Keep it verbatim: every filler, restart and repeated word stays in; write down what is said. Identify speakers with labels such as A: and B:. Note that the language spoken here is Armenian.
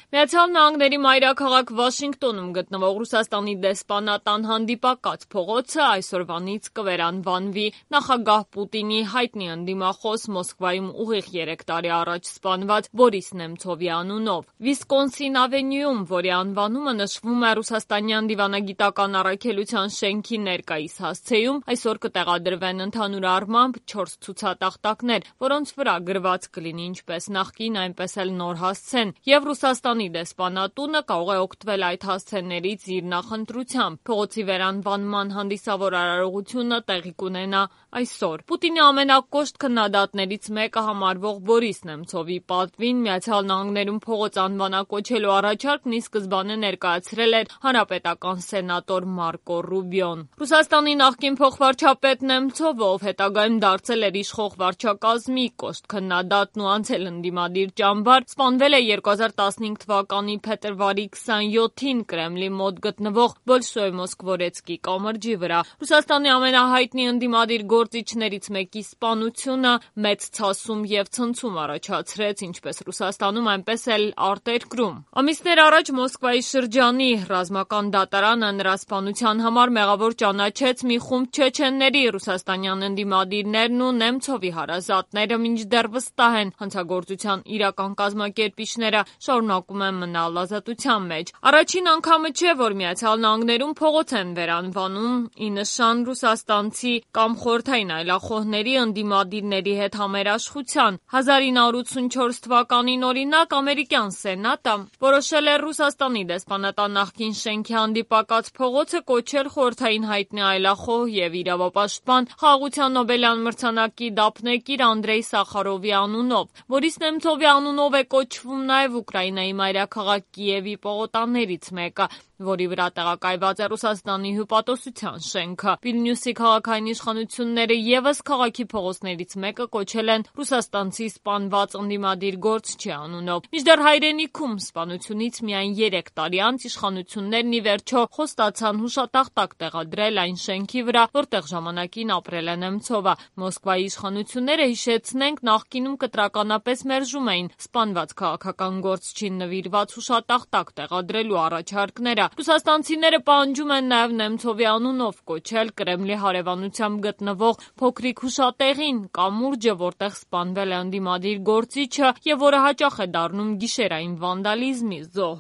A: Միացյալ Նահանգների մայրաքաղաք Վաշինգտոնում գտնվող Ռուսաստանի դեսպանատան հանդիպակաց փողոցը այսօրվանից կվերանվանվի։ Նախագահ Պուտինի հայտնի ընդդիմախոս Մոսկվայում ուղիղ երեք տարի առաջ սպանված Բորիս Նեմցովի անունով։ Վիսկոնսին ավենյուում, որի անվանումը նշվում է ռուսաստանյան դիվանագիտական առաքելության շենքի ներկայիս հասցեում, այսօր կտեղադրվեն ընդհանուր առմամբ չորս ցուցատախտակներ, որոնց վրա գրված կլինի ինչպես նախկին, այնպես էլ նոր հասցեն, եւ Ռուսաստանի դեսպանատունը կարող է օգտվել այդ հասցեներից իր նախընտրությամբ։ Փողոցի վերանվանման հանդիսավոր արարողությունը տեղի կունենա այսօր։ Պուտինի ամենակոշտ քննադատներից մեկը համարվող Բորիս Նեմցովի պատվին Միացյալ Նահանգներում փողոց անվանակոչելու առաջարկն ի սկզբանե ներկայացրել էր հանրապետական սենատոր Մարկո Ռուբիոն։ Ռուսաստանի նախկին փոխվարչապետ Նեմցովը, ով հետագայում դարձել էր իշխող վարչակազմի կոշտ քննադատն ու անցել ընդդիմադիր ճամբար, սպանվել է երկու հազար տասնհինգ թվականի փետրվարի քսանյոթին Կրեմլի մոտ գտնվող Բոլշոյ Մոսկվորեցկի կամրջի վրա։ Ռուսաստանի ամենահայտնի ընդդիմադիր գործիչներից մեկի սպանությունը մեծ ցասում եւ ցնցում առաջացրեց ինչպես Ռուսաստանում, այնպես էլ արտերկրում։ Ամիսներ առաջ Մոսկվայի շրջանի ռազմական դատարանը նրա սպանության համար մեղավոր ճանաչեց մի խումբ չեչենների։ Ռուսաստանյան ընդդիմադիրներն ու Նեմցովի հարազատները մինչդեռ վստահ են, հանցագործության իրական կազմակերպիչները շարունակում են մնալ ազատության մեջ։ Առաջին անգամը չէ, որ Միացյալ Նահանգներում փողոց են վերանվանում ի նշան ռուսաստանցի կամ խորհրդային այլախոհների ընդդիմադիրների հետ համերաշխության։ հազար ինը հարյուր ութսունչորս թվականին օրինակ ամերիկյան սենատը որոշել էր Ռուսաստանի դեսպանատան նախկին շենքի հանդիպակաց փողոցը կոչել խորհրդային հայտնի այլախոհ եւ իրավապաշտպան Խաղաղության Նոբելյան մրցանակի դափնեկիր Անդրեյ Սախարովի անունով։ Բորիս Նեմցովի անունով է կոչվում նաեւ Ուկրաինայի մայրաքաղաք Կիևի պողոտաներից մեկը, որի վրա տեղակայված է Ռուսաստանի հյուպատոսության շենքը։ Վիլնյուսի քաղաքային իշխանությունները եւս քաղաքի փողոցներից մեկը կոչել են ռուսաստանցի սպանված ընդդիմադիր գործչի անունով։ Մինչդեռ հայրենիքում սպանությունից միայն երեք տարի անց իշխանություններն ի վերջո խոստացան հուշատախտակ տեղադրել այն շենքի վրա, որտեղ ժամանակին ապրել է Նեմցովը։ Մոսկվայի իշխանությունները, հիշեցնենք, նախկինում կտրականապես մերժում էին սպանված քաղաքական գործչին նվիրված հուշատախտակ տեղադրելու առաջարկները։ Ռուսաստանցիները պահանջում են նաև Նեմցովի անունով կոչել Կրեմլի հարևանությամբ գտնվող փոքրիկ հուշատեղին, կամուրջը, որտեղ սպանվել է ընդդիմադիր գործիչը եւ որը հաճախ է դառնում գիշերային վանդալիզմի զոհ։